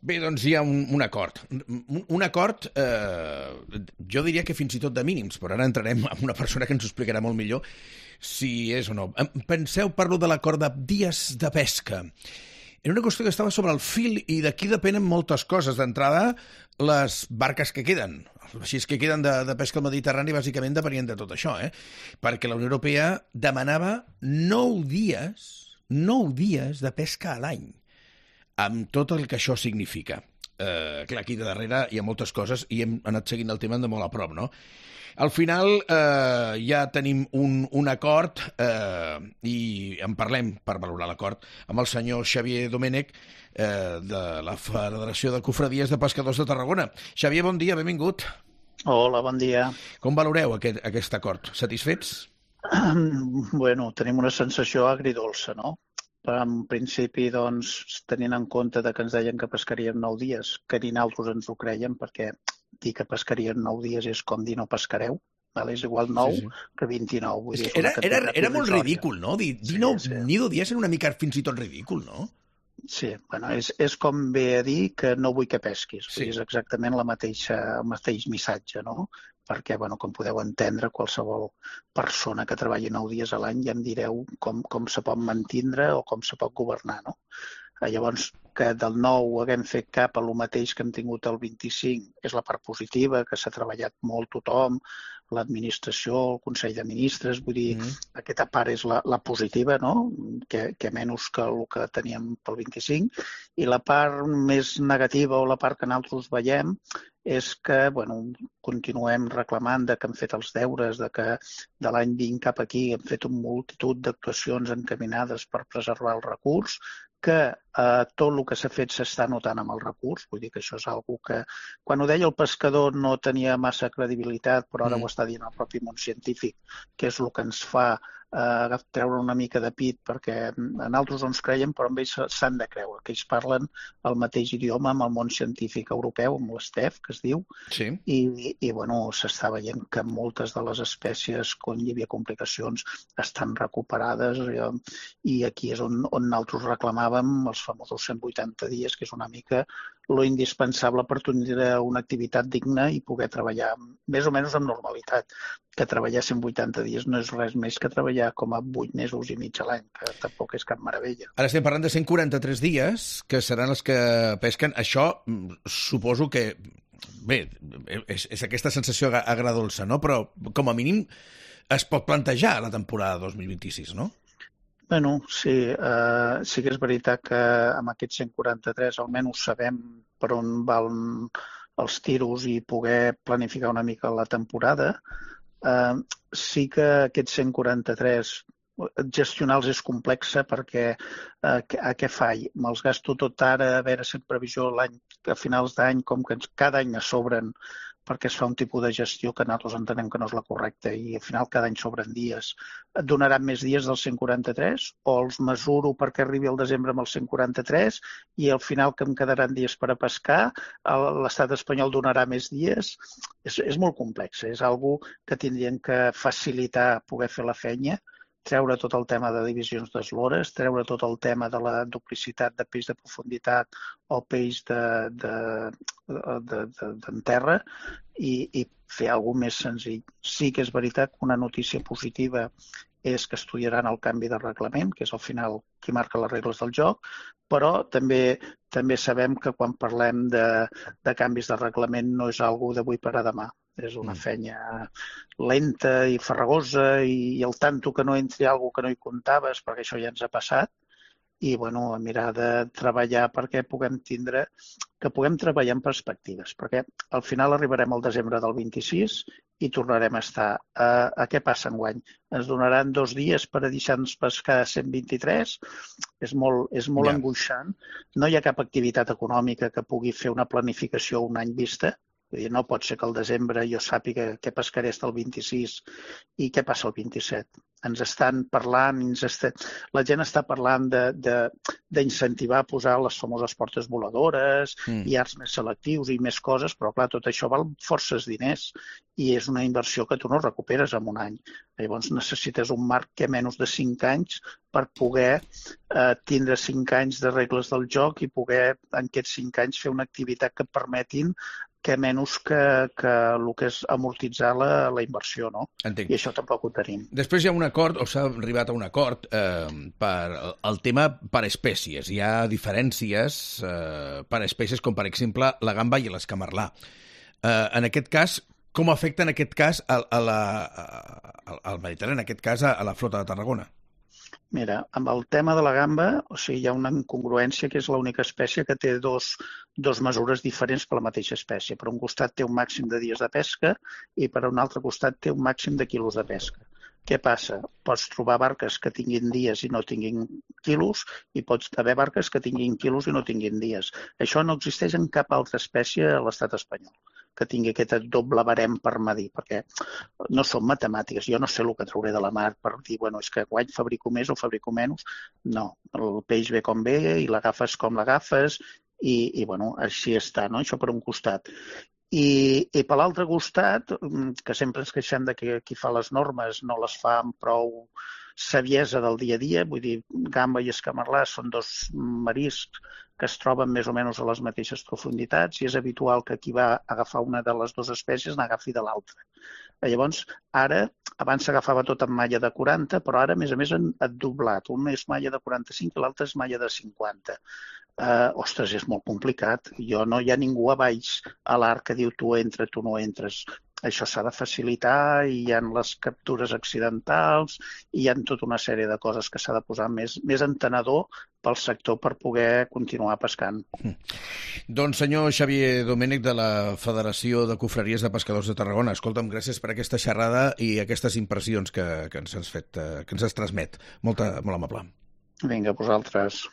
Bé, doncs hi ha un acord. Un acord, jo diria que fins i tot de mínims, però ara entrarem amb una persona que ens ho explicarà molt millor si és o no. Penseu, parlo de l'acord de dies de pesca. Era una qüestió que estava sobre el fil i d'aquí depenen moltes coses. D'entrada, les barques que queden. Els vaixells que queden de pesca al Mediterrani bàsicament depenien de tot això, perquè la Unió Europea demanava 9 dies de pesca a l'any, amb tot el que això significa. Clar, aquí de darrere hi ha moltes coses i hem anat seguint el tema de molt a prop, no? Al final ja tenim un acord i en parlem per valorar l'acord amb el senyor Xavier Domènech de la Federació de Cofradies de Pescadors de Tarragona. Xavier, bon dia, benvingut. Hola, bon dia. Com valoreu aquest acord? Satisfets? Bueno, tenim una sensació agridolça, no? En principi, doncs, tenint en compte que ens deien que pescarien 9 dies, que ni nosaltres ens ho creiem, perquè dir que pescarien 9 dies és com dir no pescareu, és igual 9 que 29. Vull dir, era molt ridícul, no? Dir 9 dies era una mica fins i tot ridícul, no? Sí, bueno, és com ve a dir que no vull que pesquis. Sí. És exactament el mateix missatge, no? Perquè, bueno, com podeu entendre, qualsevol persona que treballi 9 dies a l'any ja em direu com se pot mantindre o com se pot governar, no? Llavors, que del 9 haguem fet cap a lo mateix que hem tingut el 25 és la part positiva, que s'ha treballat molt tothom, l'administració, el Consell de Ministres, vull dir, aquesta part és la positiva, no? Que menys que el que teníem pel 25, i la part més negativa o la part que nosaltres veiem és que, bueno, continuem reclamant que hem fet els deures, que de l'any 20 cap aquí hem fet una multitud d'actuacions encaminades per preservar el recurs, que tot el que s'ha fet s'està notant amb el recurs, vull dir que això és una cosa que, quan ho deia el pescador no tenia massa credibilitat, però ara ho està dient el propi món científic, que és el que ens fa treure una mica de pit, perquè a nosaltres ens creiem, però amb ells s'han de creure, que ells parlen el mateix idioma amb el món científic europeu, amb l'STEF, que es diu, sí. I bueno, s'està veient que moltes de les espècies, quan hi havia complicacions, estan recuperades, i aquí és on nosaltres reclamàvem els famosos 180 dies, que és una mica lo indispensable per tenir una activitat digna i poder treballar més o menys amb normalitat. Que treballar 180 dies no és res més que treballar com a 8 mesos i mig a l'any, que tampoc és cap meravella. Ara estem parlant de 143 dies, que seran els que pesquen. Això suposo que, bé, és aquesta sensació agradolça, no? Però com a mínim es pot plantejar la temporada 2026, no? Bueno, sí, sí que és veritat que amb aquests 143 almenys sabem per on van els tiros i poder planificar una mica la temporada. Sí que aquests 143 gestionar-los és complexa perquè a què faig? Me'ls gasto tot ara a veure si en previsió l'any a finals d'any, com que cada any es sobren perquè es fa un tipus de gestió que nosaltres entenem que no és la correcta i al final cada any sobren dies. Et donaran més dies dels 143 o els mesuro perquè arribi el desembre amb els 143 i al final que em quedaran dies per a pescar, l'estat espanyol donarà més dies? És molt complex, és algo que tindrien que facilitar poder fer la feina, treure tot el tema de divisions d'eslores, treure tot el tema de la duplicitat de peix de profunditat o peix d'en terra i fer alguna cosa més senzill. Sí que és veritat que una notícia positiva és que estudiaran el canvi de reglament, que és al final qui marca les regles del joc, però també sabem que quan parlem de canvis de reglament no és una cosa d'avui per a demà. És una feina lenta i farragosa i al tanto que no entri alguna cosa que no hi comptaves, perquè això ja ens ha passat, i bueno, mirar de treballar perquè puguem treballar en perspectives, perquè al final arribarem al desembre del 26 i tornarem a estar. Què passa enguany? Ens donaran 2 dies per a deixar-nos pescar 123? És molt angoixant. No hi ha cap activitat econòmica que pugui fer una planificació a un any vista. Vull dir, no pot ser que al desembre jo sàpiga què pescaré fins al 26 i què passa el 27. ens estan parlant, la gent està parlant d'incentivar a posar les famoses portes voladores i arts més selectius i més coses, però clar, tot això val forces diners i és una inversió que tu no recuperes en un any. Llavors necessites un marc que menys de 5 anys per poder tindre 5 anys de regles del joc i poder en aquests 5 anys fer una activitat que et permetin que menys que el que és amortitzar la inversió, no? Entenc. I això tampoc ho tenim. Després hi ha un acord, o s'ha arribat a un acord, per el tema per espècies. Hi ha diferències per espècies, com per exemple la gamba i l'escamarlà. En aquest cas, com afecta en aquest cas al Mediterrani, en aquest cas a la flota de Tarragona? Mira, amb el tema de la gamba, o sigui, hi ha una incongruència que és l'única espècie que té dos mesures diferents per la mateixa espècie. Per un costat té un màxim de dies de pesca i per un altre costat té un màxim de quilos de pesca. Què passa? Pots trobar barques que tinguin dies i no tinguin quilos i pots haver barques que tinguin quilos i no tinguin dies. Això no existeix en cap altra espècie a l'estat espanyol que tingui aquest doble barem per medir, perquè no són matemàtiques. Jo no sé el que trauré de la mar per dir, bueno, és que guany fabrico més o fabrico menys. No, el peix ve com ve i l'agafes com l'agafes i bueno, així està, no? Això per un costat. I per l'altre costat, que sempre ens queixem de que qui fa les normes no les fa amb prou saviesa del dia a dia, vull dir, gamba i escamarlà són dos mariscs que es troben més o menys a les mateixes profunditats i és habitual que qui va agafar una de les dues espècies n'agafi de l'altra. Llavors, ara, abans s'agafava tot amb malla de 40, però ara, a més, han doblat. Un és malla de 45 i l'altre és malla de 50. Ostres, és molt complicat. Hi ha ningú a baix a l'arc que diu tu entra, tu no entres. Això s'ha de facilitar i hi ha les captures accidentals i hi ha tota una sèrie de coses que s'ha de posar més entenedor pel sector per poder continuar pescant. Doncs senyor Xavier Domènech de la Federació de Confraries de Pescadors de Tarragona, escolta'm, gràcies per aquesta xerrada i aquestes impressions que ens has fet, que ens has transmet. Molt amable. Vinga, vosaltres.